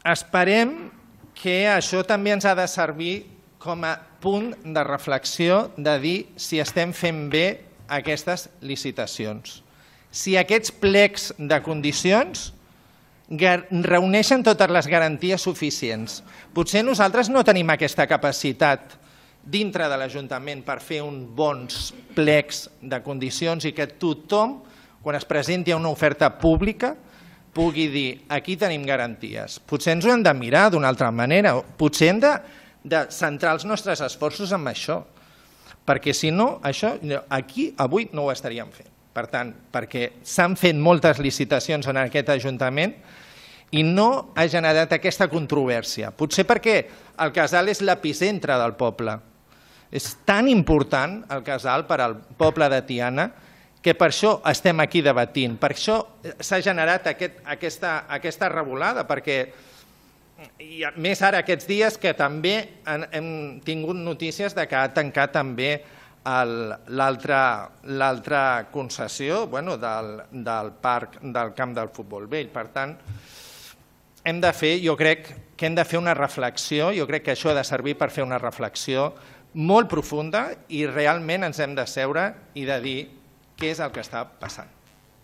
Esperem que això també ens ha de servir com a punt de reflexió de dir si estem fent bé aquestes licitacions. Si aquests plecs de condicions reuneixen totes les garanties suficients. Potser nosaltres no tenim aquesta capacitat dintre de l'Ajuntament per fer uns bons plecs de condicions i que tothom, quan es presenti a una oferta pública, pugui dir aquí tenim garanties. Potser ens ho hem de mirar d'una altra manera, potser hem de centrar els nostres esforços en això, perquè si no, això aquí avui no ho estaríem fent. Per tant, perquè s'han fet moltes licitacions en aquest Ajuntament i no ha generat aquesta controvèrsia. Potser perquè el casal és l'epicentre del poble. És tan important el casal per al poble de Tiana que per això estem aquí debatint. Per això s'ha generat aquesta revolada, perquè més ara aquests dies que també hem tingut notícies que ha tancat també l'altra concessió del parc del camp del futbol vell. Per tant, jo crec que hem de fer una reflexió, jo crec que això ha de servir per fer una reflexió molt profunda i realment ens hem de seure i de dir què és el que està passant.